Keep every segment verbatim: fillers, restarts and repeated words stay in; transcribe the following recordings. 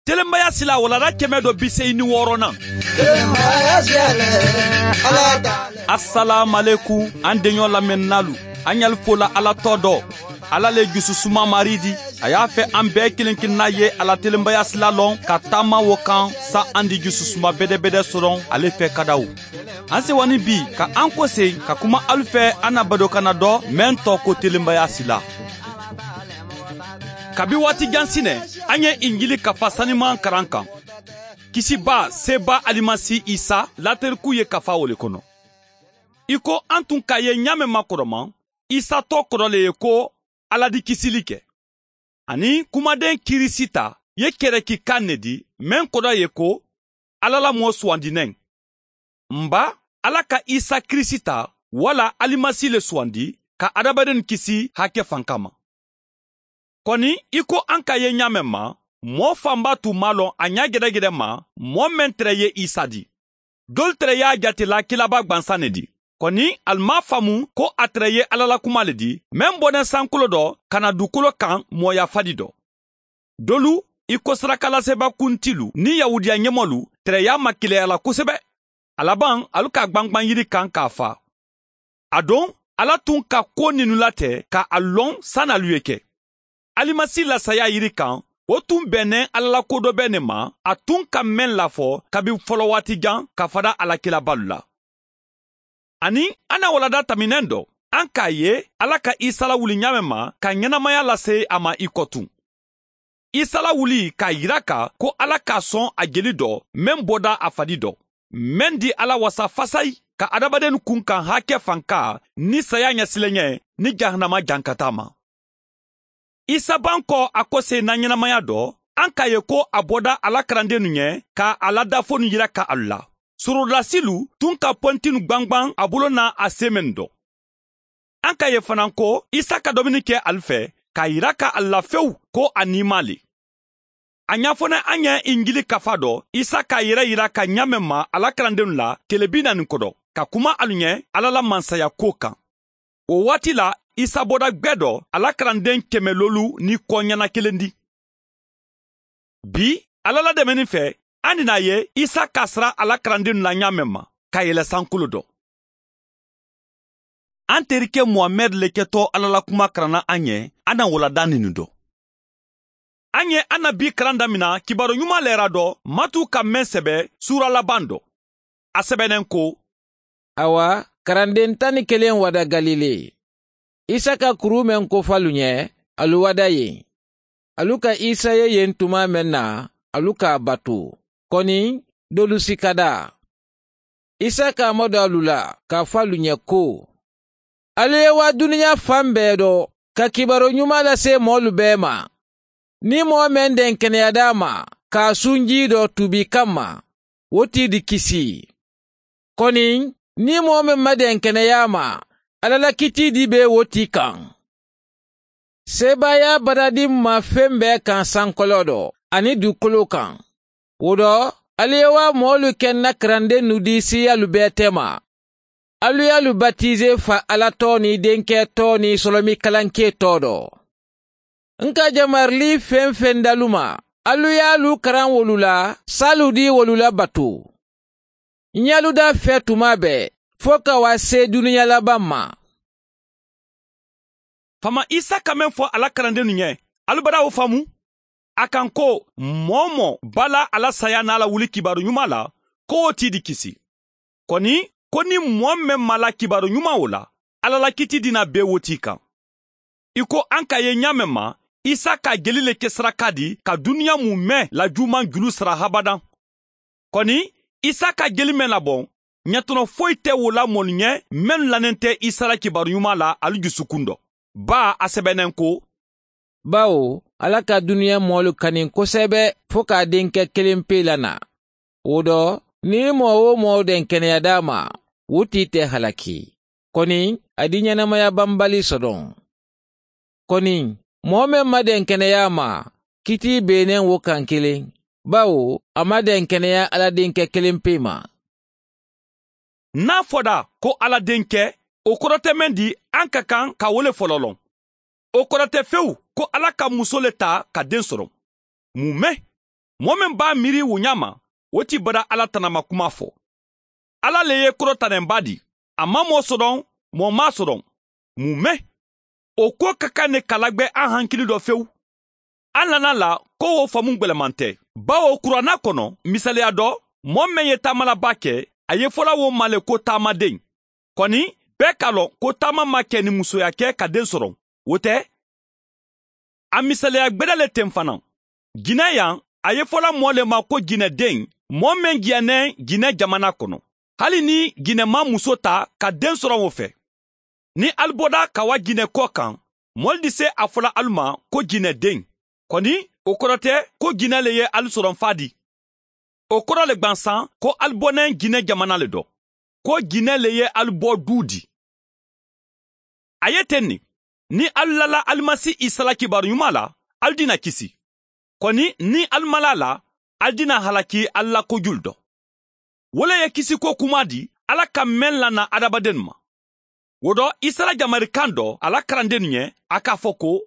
Telenbaya sila walada kɛmɛ dɔ bi seegin ni wɔɔrɔnan. Assalamu an denɲɔ lamɛnnalu an y'al fola Ala tɔ dɔ. Ala le jususuma mari di. A y'a fɛ an bɛɛ kelen kelenna ye Ala telenbaya sila lɔn ka taama wo kan sa an di jususuma bɛdɛbɛdɛ sɔrɔ ale fɛ kadaw. An sewani bi ka an kɔse ka kuma alu fɛ an na badokana dɔ mɛn tɔ ko telenbaya sila. Kabi waati jan sinɛ an ye Injili kafa saniman karan kan. Kisiba seba Alimasi Isa lateriku ye kafa o le kɔnɔ. I ko an tun k'a ye ɲa mɛn makɔrɔma, Isa tɔ kɔrɔ le ye ko Ala di kisili kɛ. Ani kumaden Kirisita ye kɛrɛkikan ne di mɛn kɔrɔ ye ko Ala la mɔɔ sugandinɛn. Nba Ala ka Isa Kirisita wala Alimasi le sugandi ka adamaden kisi hakɛ fan kama. Kɔni i ko an ka ye ɲa mɛn ma, mɔɔ fanba tun m'a lɔn a ɲa gɛrɛgɛrɛ ma mɔɔ mɛn tɛrɛ ye Isa di. Dɔlu tɛrɛ y'a jatela kilaba gwansan ne di. Kɔni ali m'a faamu ko a tɛrɛ ye Ala la kuma le di mɛn bɔnɛ sankolo dɔ ka na dukolo kan mɔɔya fadi dɔ. Dolu i ko sarakalaseba kuntilu ni yahudiya ɲɛmɔlu tɛrɛ y'a makilɛya la kosɛbɛ. A laban alu ka gbangban yiri kan k'a fa. A don Ala tun ka ko ninu latɛ ka a lɔn san'alu ye kɛ. Alimasi la saya yiri kan o tun bɛnnen Ala la ko dɔ bɛ ne ma a tun ka mɛn lafɔ kabi fɔlɔ waati jan ka fada Ala kilabalu la. Ani an na walada taminɛn dɔ an k'a ye Ala ka Isa lawuli ɲa mɛn ma ka ɲɛnamaya lase a ma i kɔ tun. Isa lawuli k'a yira ka ko Ala k'a sɔn a jeli dɔ mɛn bɔda a fadi dɔ mɛn di Ala wasa fasayi ka adamaden kun kan hakɛ fanka ni saya ɲɛsilen ni jahanama jankata ma. Isa ban kɔ a kɔse na ɲɛnamaya dɔ an k'a ye ko a bɔda Ala karandennu ɲɛ ka a ladafonu yira ka alu la. Sorodasilu tun ka pɔntinu gbangban a bolo n'a a sen mɛn dɔ. An k'a ye fana ko Isa ka domini kɛ alu fɛ k'a yira ka a la fewu ko a nima le. A ɲɛfɔnɛ an ɲɛ Injili kafa dɔ Isa k'a yɛrɛ yira ka ɲa mɛn ma Ala karandennu la tele bi naani kɔdɔ ka kuma alu ɲɛ Ala la mansaya ko kan. O waati la Isa bɔda gwɛ dɔ Ala karanden kɛmɛ lolu ni kɔ ɲɛna kelen di. Bi Ala la dɛmɛni fɛ an nina ye Isa k'a sara Ala karandennu la ɲa mɛn ma ka yɛlɛ sankolo dɔ. An terikɛ Muhamɛd le kɛtɔ Ala la kuma karanna an ɲɛ an na walada ninu dɔ. An ye an na bi karan damina kibaru ɲuman lɛra dɔ Matu ka mɛn sɛbɛ sura laban dɔ. A sɛbɛnnen ko: Awa karanden tan ni kelen wada Galile. Isa ka kuru mɛn kofalu ɲɛ alu wada yen. Alu ka Isa ye yen tuma mɛn na alu k'a bato. Kɔni dolu sikada. Isa k'a madon alu la k'a fɔ alu ɲɛ ko: Alu ye wa duniya fan bɛɛ dɔ ka kibaru ɲuman lase mɔɔlu bɛɛ ma. Ni mɔɔ mɛn den kɛnɛya d'a ma k'a sunji dɔ tubi kama o t'i di kisi. Kɔni ni mɔɔ mɛn ma den kɛnɛya ma Ala la kiti di bɛ o ti kan. Sebaaya baradi ma fɛn bɛɛ kan sankolo dɔ ani dugukolo kan. O dɔ alu ye wa mɔɔlu kɛ na karandennu di siyalu bɛɛ tɛ ma. Alu y'alu batize fa Ala tɔ ni denkɛ tɔ ni sɔlɔmi kalanke tɔ dɔ. N ka jamarili fɛn fɛn dalu ma alu y'alu karan wolu la salu di wolu la bato. N y'alu da fɛ tuma bɛɛ fo ka wa se duniya laban ma. Fama Isa ka mɛn fɔ Ala karandennu ɲɛ alu bara o faamu. A kan ko mɔɔ mɔ bala Ala saya n'a la wuli kibaru ɲuman la k'o t'i di kisi. Kɔni ko ni mɔɔ mɛn ma la kibaru ɲuman o la Ala la kiti dina bɛɛ wo t'i kan. I ko an ka ye ɲa mɛn ma Isa ka jeli le kɛ saraka di ka duniya mun mɛn la juman julu sara habadan. Kɔni Isa ka jeli mɛn labɔn ɲɛtɔnɔ foyi tɛ wo la mɔlu ɲɛ mɛnnu lanen tɛ Isa la kibaru ɲuman la alu jusukun dɔ. Ba a sɛbɛnnen ko: Bawo Ala ka duniya mɔɔlu kani kosɛbɛ fo k'a denkɛ kelen pe la na. O dɔ ni mɔɔ o mɔɔ den kɛnɛya d'a ma o t'i tɛ halaki. Kɔni a di ɲɛnamaya banbali sɔdɔn. Kɔni mɔɔ mɛn ma den kɛnɛya ma kiti benen wo kan kelen. Bawo a ma den kɛnɛya Ala denkɛ kelen pe ma. N'a fɔda ko Ala denkɛ o kɔrɔ tɛ mɛn di an ka kan ka wele fɔlɔ lɔn. O kɔrɔ tɛ fewu ko Ala ka muso le ta ka den sɔrɔ. Mun mɛn Mɔɔ min b'a miiri o ɲa ma, o ti bada Ala tanama kuma fɔ. Ala le ye kɔrɔtanɛnba di. A ma mɔɔ sɔdɔn, mɔɔ m'a sɔdɔn. Mun mɛn? O ko ka kan ne kalagbɛ an hankili dɔ fewu. An nana la ko o faamu gwɛlɛman tɛ. Bawo kuranna kɔnɔ, misaliya dɔ, mɔɔ mɛn ye taamalaba kɛ, a ye fɔla wo ma le ko taamaden. Kɔni, bɛɛ k'a lɔn ko taama ma kɛ ni musoya kɛ ka den sɔrɔ. O tɛ? A misaliya gwɛdɛ le ten fana. Jinɛ yan, a ye fɔla mɔɔ le ma ko jinɛden, mɔɔ mɛn jɛnɛ jinɛ jamana kɔnɔ. Hali ni jinɛ ma muso ta ka den sɔrɔ o fɛ. Ni alu bɔda ka wa jinɛ kɔ kan, mɔɔlu di se a fɔla alu ma ko jinɛden. Kɔni, o kɔrɔ tɛ ko jinɛ le ye alu sɔrɔ fa di. O kɔrɔ le gwansan ko alu bɔnɛ jinɛ jamana le dɔ. Ko jinɛ le ye alu bɔ du di. A ye ten nin, ni alu lala Alimasi Isa la kibaru ɲuman la, alu dina kisi. Kɔni ni alu ma la la, alu dina halaki alu la kojulu dɔ. Wo le ye kisiko kuma di Ala ka mɛn lana adamaden ma. O dɔ Isa la jamarikan dɔ a la karanden ɲɛ, a k'a fɔ ko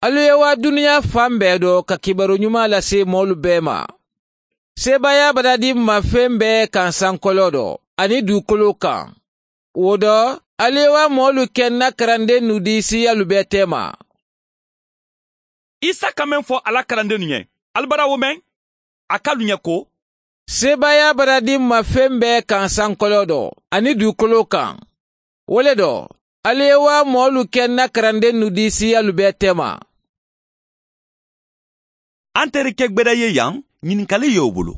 alu ye wa duniya fan bɛɛ dɔ ka kibaru ɲuman lase mɔɔlu bɛɛ ma. Sebaaya bada di ma fɛn bɛɛ kan sankolo dɔ ani dugukolo kan. O dɔ alu ye wa mɔɔlu kɛ na karanden nu di siyalu bɛɛ tɛma. Isa ka mɛn fɔ a la karanden ɲɛ, alu bara wo mɛn? A k'alu ɲɛ ko sebaaya bara di ma fɛn bɛɛ kan sankolo dɔ ani dugukolo kan. O le dɔ alu ye wa mɔɔlu kɛ na karanden nu di siyalu bɛɛ tɛma. An terikɛ gbɛdɛ ye yan, ɲininkali y'o bolo.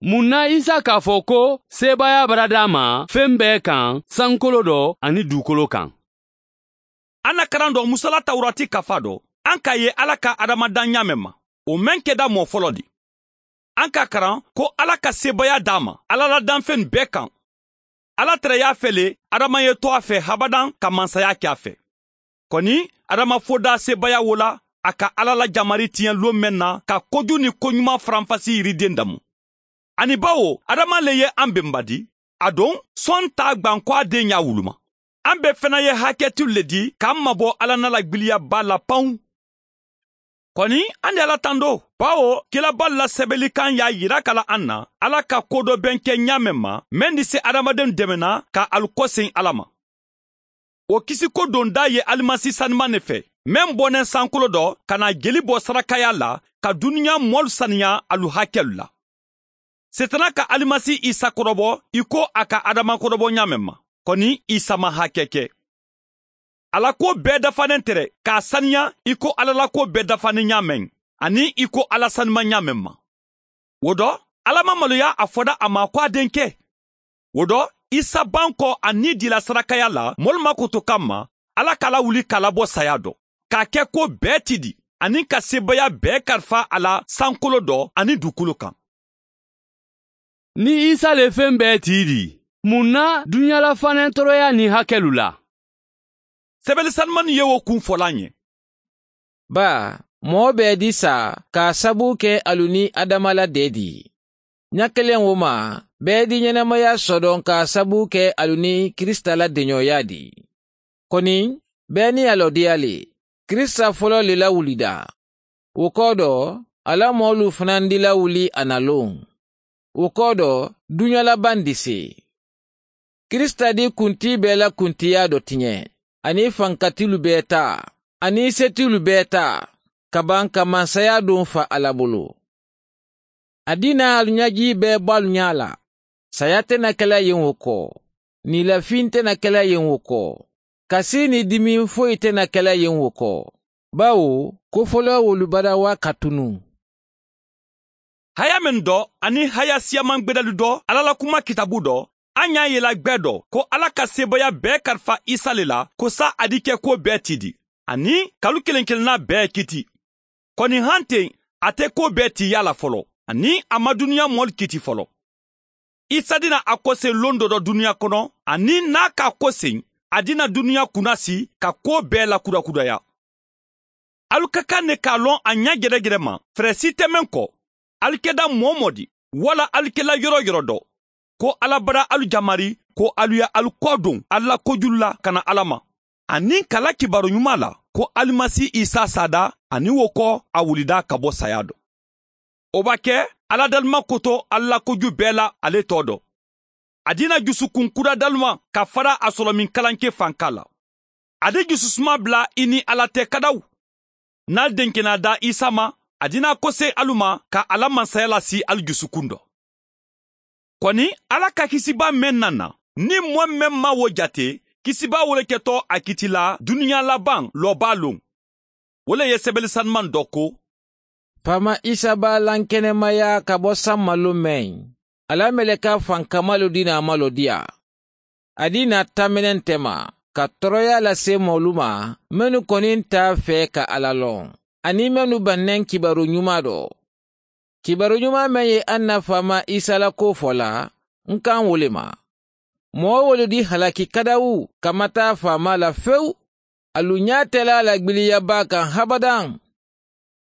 Mun na Isa k'a fɔ ko sebaaya bara d'a ma fɛn bɛɛ kan sankolo dɔ ani dugukolo kan? An na karan dɔ Musala Tawurati kafa dɔ, an k'a ye Ala ka adamadan ɲa mɛn ma, o mɛn kɛda mɔɔ fɔlɔ di. An ka karan ko Ala ka sebaaya d'a ma Ala la danfɛn bɛɛ kan. Ala tɛrɛ y'a fɛ le Adama ye to a fɛ habadan ka mansaya kɛ a fɛ. Kɔni Adama foda sebaaya wo la, a ka Ala la jamari tiɲɛ lon mɛn na ka koju ni koɲuman faranfasi yiriden damu. Ani bawo Adama le ye an benba di, a don sɔn t'a gwan ko a den y'a wuluma. An bɛɛ fana ye hakɛtiw le di k'an mabɔ Ala na la gbiliyaba la panw. Kɔni an de Ala tando, bawo kilaba la sɛbɛnnikan y'a yira kala an na Ala ka ko dɔ bɛn kɛ ɲa mɛn ma, mɛn di se adamaden dɛmɛna ka alu kɔsen Ala ma. O kisiko donda ye Alimasi saniman ne fɛ, mɛn bɔnɛ sankolo dɔ ka na jeli bɔ sarakaya la ka duniya mɔlu saniya alu hakɛlu la. Setana ka Alimasi Isa kɔrɔbɔ i ko a ka Adama kɔrɔbɔ ɲa mɛn ma, kɔni Isa ma hakɛ kɛ. Ala ko bɛɛ dafanen tɛrɛ k'a saniya i ko Ala la ko bɛɛ dafanen ɲa mɛn, ani i ko Ala sanima ɲa mɛn ma. O dɔ, Ala ma maloya a fɔda a ma ko a denkɛ. O dɔ, Isa ban kɔ a ni dila sarakaya la mɔlu makoto kama, Ala k'a lawuli k'a labɔ saya dɔ, k'a kɛ ko bɛɛ ti di, ani ka sebaaya bɛɛ kalifa a la sankolo dɔ ani dugukolo kan. Ni Isa le fɛn bɛɛ ti di, mun na dunyala fanɛ tɔɔrɔya ni hakɛlu la? Sɛbɛnni sanumani ye o kun fɔla an ye. Ba, mɔɔ bɛɛ di sa k'a sabu kɛ alu ni Adama la dɛ di. Ɲa kelen wo ma, bɛɛ di ɲɛnamaya sɔdɔn k'a sabu kɛ alu ni Krista la denɲɔya di. Kɔni, bɛɛ ni a lɔdiya le. Krista fɔlɔ le lawulida. O kɔ dɔ, ala mɔɔlu fana di lawuli a na lon. O kɔ dɔ, duɲa laban di se. Krista di kunti bɛɛ la kuntiya dɔ tiɲɛ, ani fankatilu bɛɛ ta, ani setilu bɛɛ ta, ka ban ka mansaya don fa Ala bolo. A dina alu ɲaji bɛɛ bɔ alu ɲa la. Saya tɛna kɛla yen o kɔ, nilafin tɛna kɛla yen o kɔ, kasi ni dimi foyi tɛna kɛla yen o kɔ, bawo ko fɔlɔ wolubadawa ka tunu. Haya min dɔ ani haya siyaman gbɛdɛli dɔ Ala la kuma kitabu dɔ, an y'a yela gbɛ dɔ ko Ala ka sebaaya bɛɛ kalifa Isa le la ko sa a di kɛ ko bɛɛ ti di, ani kalu kelen kelenna bɛɛ kiti. Kɔni han ten a tɛ ko bɛɛ ti ya la fɔlɔ, ani a ma duniya mɔli kiti fɔlɔ. Isa dina a kɔsen lon dɔ dɔ duniya kɔnɔ, ani n'a k'a kɔsen a dina duniya kunnasi ka ko bɛɛ lakurakuraya. Alu ka kan ne k'a lɔn a ɲɛ gɛrɛgɛrɛ ma, fɛrɛ si tɛ mɛn kɔ. Alu kɛda mɔɔ mɔ di, wala alu kɛla yɔrɔ yɔrɔ dɔ, ko Ala bara alu jamari, ko alu ya alu kɔ don alu la kojulu la ka na Ala ma. Ani kala kibaru ɲuman la, ko Alimasi Isa sada, ani wo kɔ a wulida ka bɔ saya dɔ. O b'a kɛ Ala dalima koto Ala koju bɛɛ la ale tɔ dɔ. A dina jusukun kura dalima ka fara a sɔrɔ min kalanke fanka la. A di jususuma bila i ni Ala tɛ kadaw. N'a denkɛna da Isa ma, a dina kose alu ma ka Ala mansaya lasi alu jusukun dɔ. Kɔni Ala ka kisiba mɛn nana, ni mɔ mɛn ma wo jate, kisiba wole kɛtɔ a kiti la duniya laban lɔba lon. O le ye sɛbɛnni sanuman dɔ ko. Fama Isa b'a lankɛnɛmaya ka bɔ san malo mɛn. Ala mɛlɛka fankamalu dina a malo diya. A dina taminɛn tɛma ka tɔɔrɔya lase mɔlu ma minnu kɔni t'a fɛ ka Ala lɔn. Ani minnu bannen kibaru ɲuman dɔ. Kibaru ɲuman mɛn ye an na fama Isa la ko fɔ la, n kan wole ma. Mɔgɔ wolu di halaki kadawu ka ma taa fama la fewu. Alu ɲa tɛla la gbiliyaba kan habadan.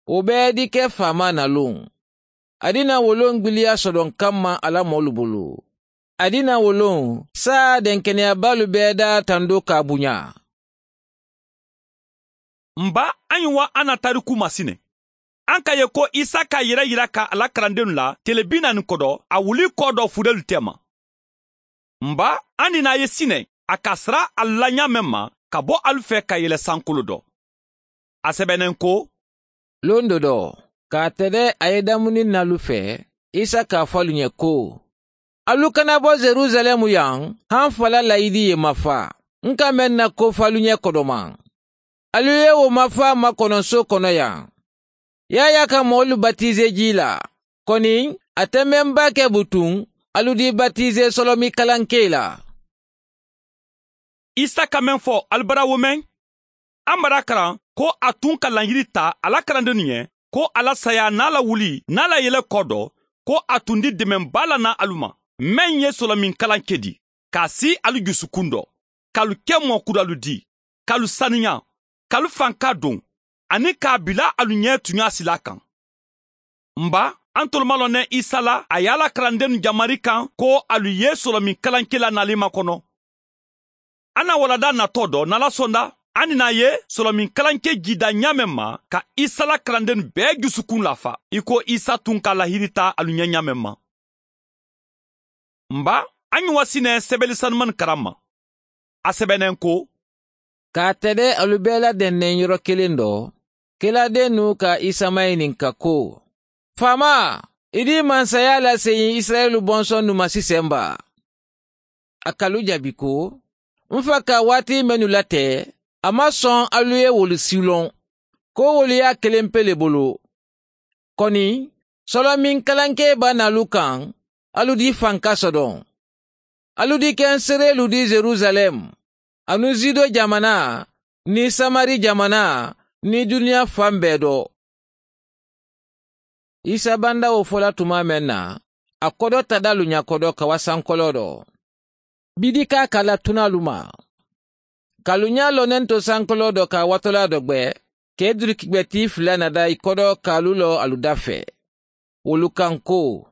O bɛɛ di kɛ fama nalon. A dina wolon gbiliya sɔdɔn kanma Ala mɔlu bolo. A dina wolon saa denkɛnɛyabalu bɛɛ da tando k'a bonya. Nba an ye wa an na tariku masinɛ. An ka ye ko Isa k'a yɛrɛ yira ka Ala kalandenw la tele bi naani kɔdɔ a wuli kɔ dɔ fudelu tɛma. Nba an nina ye sinɛ a ka sira a laɲa mɛn ma ka bɔ alu fɛ ka yɛlɛ sankolo dɔ. A sɛbɛnnen ko. Lon dɔ dɔ k'a tɛdɛ a ye damuni nalu fɛ, Isa k'a fɔ alu ɲɛ ko. Alu kana bɔ Jerusalɛmu yan, han fala layidi ye ma fa. N ka mɛn na ko fɔ alu ɲɛ kɔdɔma. Alu ye o ma fa makɔnɔso kɔnɔ yan. Yaya ka mɔɔlu batize ji la. Kɔni, a tɛ mɛn ba kɛ butun, alu di batize sɔlɔmi kalanke la. Isa ka mɛn fɔ alibara wo mɛn? An bara karan ko a tun ka laɲini ta Ala kalandenw ɲɛ, ko Ala saya n'a la wuli n'a la yɛlɛ kɔ dɔ, ko a tun di dɛmɛba la na alu ma. Mɛn ye sɔlɔmin kalanke di, k'a si alu jusukun dɔ, k'alu kɛ mɔkuralu di, k'alu saniya, k'alu fanka don, ani k'a bila alu ɲɛ tunya sila kan. Nba, an tolomalɔnɛ Isa la, a y'ala kalandenw jamari kan ko alu ye sɔlɔmin kalanke la nali ma kɔnɔ. An na walada natɔ dɔ n'Ala sɔnda, an nina ye sɔlɔmin kalanke jida ɲamɛ ma ka Isa la kalanden bɛɛ jusukun lafa, i ko Isa tun ka lahiri ta alu ɲɛ ɲamɛ ma. Nba, an ye wasinɛ sɛbɛnni sanuman karan ma. A sɛbɛnnen ko. K'a tɛdɛ alu bɛɛ ladɛnnɛn yɔrɔ kelen dɔ, keladen n'u ka Isa maɲininka ko. Fama, i di mansaya lase Israɛlu bɔnsɔn nu ma sisan ba. A kalu jaabi ko, n fa ka waati minnu latɛ, a ma sɔn alu ye wolu silɔn, ko wolu y'a kelen pe le bolo. Kɔni, sɔlɔmin kalanke ba nalu kan, alu di fanka sɔdɔn. Alu di kɛ seerelu di Jerusalɛm, anu Zido jamana, ni Samari jamana, ni duniya fan bɛɛ dɔ. Isa banda o fɔla tuma mɛn na, a kɔdɔ tadalu ɲakɔdɔ ka wa sankɔlɔ dɔ. Bidi k'a kala tunalu ma. Kalu ɲa lɔnnen to sankɔlɔ dɔ ka watɔla dɔ gbɛ, k'e durukigbɛti fila nada i kɔdɔ k'alu lɔ alu da fɛ. Wolu kan ko,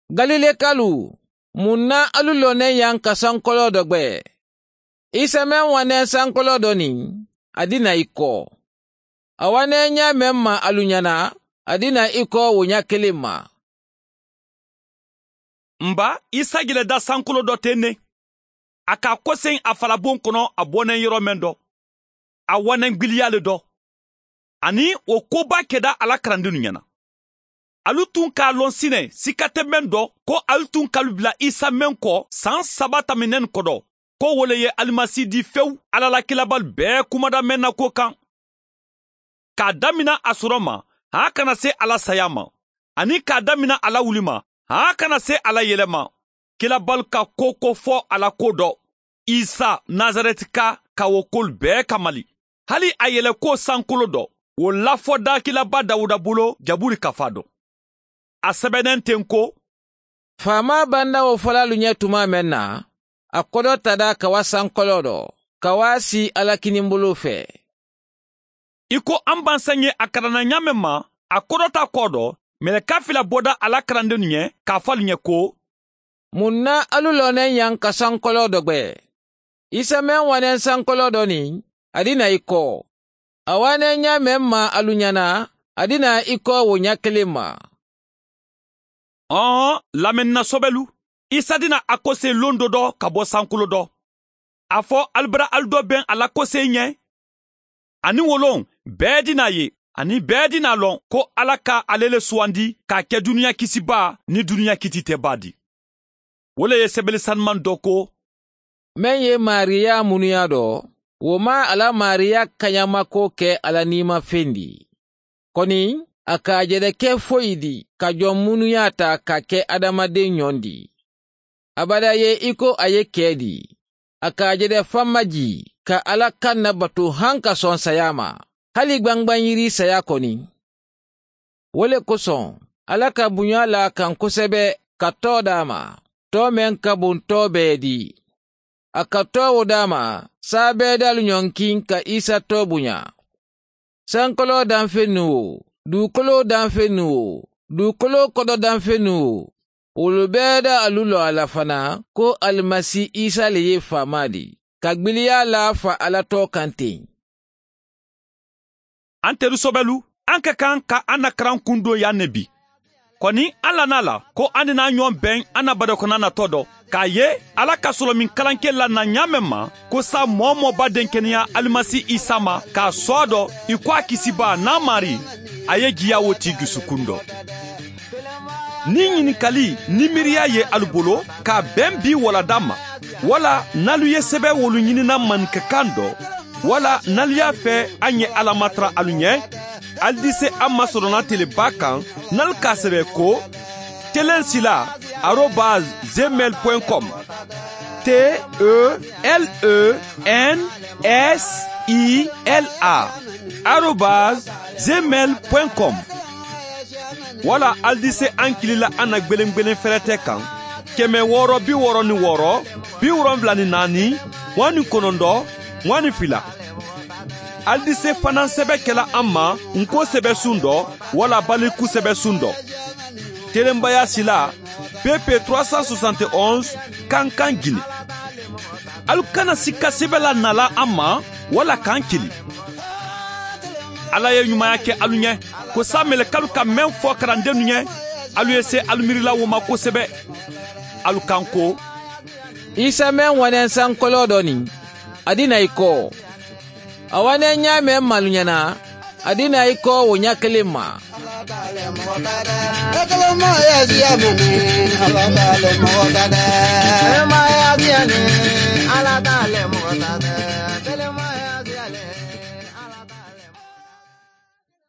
Galilekalu, mun na alu lɔnnen yan ka sankɔlɔ dɔ gbɛ? Isa mɛn wanɛ sankɔlɔ dɔ nin, a dina i kɔ. A wanɛ ɲa mɛn ma alu ɲɛna, a dina i kɔ o ɲa kelen ma. Nba, Isa yɛlɛda sankolo dɔ tɛ ne. A ka kɔsen a falabon kɔnɔ a bɔnɛ yɔrɔ mɛn dɔ. A wanɛ gbiliya le dɔ. Ani o koba kɛda Ala kalandenw ɲɛna. Alu tun k'a lɔn sinɛ sika tɛ mɛn dɔ ko alu tun k'alu bila Isa mɛn kɔ san saba tɛmɛnen kɔdɔ. Ko wole ye alimasi di fewu Ala la kilabalu bɛɛ kumada mɛn na ko kan. K'a damina a sɔrɔ ma, a kana se Ala saya ma. Ani k'a damina Ala wuli ma, a kana se Ala yɛlɛ ma. Kilabalu ka ko ko fɔ Ala ko dɔ. Isa Nazarɛtika ka o kolu bɛɛ kamali. Hali a yɛlɛ ko sankolo dɔ, o lafɔda kilaba Dawuda bolo jaburi kafa dɔ. A sɛbɛnnen ten ko. Faama banda o fɔla alu ɲɛ tuma mɛn na, a kɔdɔ tada ka wa sankɔlɔ dɔ, ka wa si Ala kinibolo fɛ. I ko an bansan ye a kalanna ɲamɛ ma, a kɔdɔ ta kɔ dɔ, mɛlɛka fila bɔda Ala kalandenw ɲɛ k'a fɔ alu ɲɛ ko. Mun na alu lɔnnen yan ka sankɔlɔ dɔ gbɛ? Isa mɛn wanɛ sankɔlɔ dɔ nin, a dina i kɔ. A wanɛ ɲa mɛn ma alu ɲɛna, a dina i kɔ o ɲa kelen ma. Ɔn lamɛnna sɔbɛlu Isa dina a kose lon dɔ dɔ ka bɔ sankolo dɔ. A fɔ alibara ali dɔ bɛn a la kose ɲɛ. Ani wolon bɛɛ dina ye ani bɛɛ dina lɔn ko Ala ka ale le suwandi k'a kɛ duniya kisiba ni duniya kiti tɛ ba di. O le ye sɛbɛnni sanuman dɔ ko. Mɛn ye Mariya munuya dɔ, o ma ala Mariya kaɲamako kɛ ala nima fɛn di. Kɔni a k'a jɛrɛ kɛ foyi di ka jɔn munuya ta ka kɛ adamaden ɲɔn di. Abada ye i ko a ye kɛ di. A k'a jɛrɛ famaji ka Ala kan na bato han ka sɔn saya ma. Hali gbangbanyiri saya kɔni. O le kosɔn Ala ka bonya la kan kosɛbɛ ka tɔ d'a ma. Tɔ mɛn ka bon tɔ bɛɛ di. A ka tɔ o d'a ma saa bɛɛ dalu ɲɔnkin ka Isa tɔ bonya. Sankolo danfɛn nu o, dugukolo danfɛn nu o, dugukolo kɔdɔ danfɛn nu o, olu bɛɛ da alu lɔ a la fana ko Alimasi Isa le ye faama di, ka gbiliya la fa Ala tɔ kan ten. An teri sɔbɛlu, an ka kan ka an na karan kun don yan ne bi. Kɔni an lana la ko an n'a ɲɔgɔn bɛn an na badakɔnɔ natɔ dɔ k'a ye Ala ka sɔrɔ min kalankɛ la na ɲa mɛn ma ko sa mɔɔ mɔba denkɛnɛya Alimasi Isa ma k'a sɔ dɔ i ko a kisiba n'a mari a ye jiya wo t'i dusukun dɔ. Ni ɲininkali ni miiriya ye alu bolo k'a bɛn bi walada ma wala n'alu ye sɛbɛn wolu ɲinina maninkakan dɔ wala n'alu y'a fɛ an ye Ala matara alu ɲɛ ali di se an masɔrɔna teleba kan n'alu k'a sɛbɛn ko telensila arobase gmail point com T E L E N S I L A arobase gmail point com wala ali di se an kilila an na gbelengbelen fɛrɛtɛ kan kɛmɛ wɔɔrɔ bi wɔɔrɔ ni wɔɔrɔ bi wolonfila ni naani mugan ni kɔnɔntɔn mugan ni fila. Ali di se fana sɛbɛn kɛla an ma nko sɛbɛn sun dɔ wala baliku sɛbɛn sun dɔ. Telenbaya sila P P trois cent soixante et onze Kankan Guinée. Alu kana sika sɛbɛn la nala an ma wala k'an kili. Ala ye ɲumanya kɛ alu ɲɛ ko sa mɛlɛkalu ka mɛn fɔ karandenw ɲɛ alu ye se alu miirila wo ma kosɛbɛ. Alu kan ko Isa mɛn wanɛ sankolo dɔ nin a di na i kɔ. A wanɛ ɲa mɛn malu ɲɛna a di na i kɔ o ɲa kelen ma. Ala t'ale mɔgɔ ta dɛ.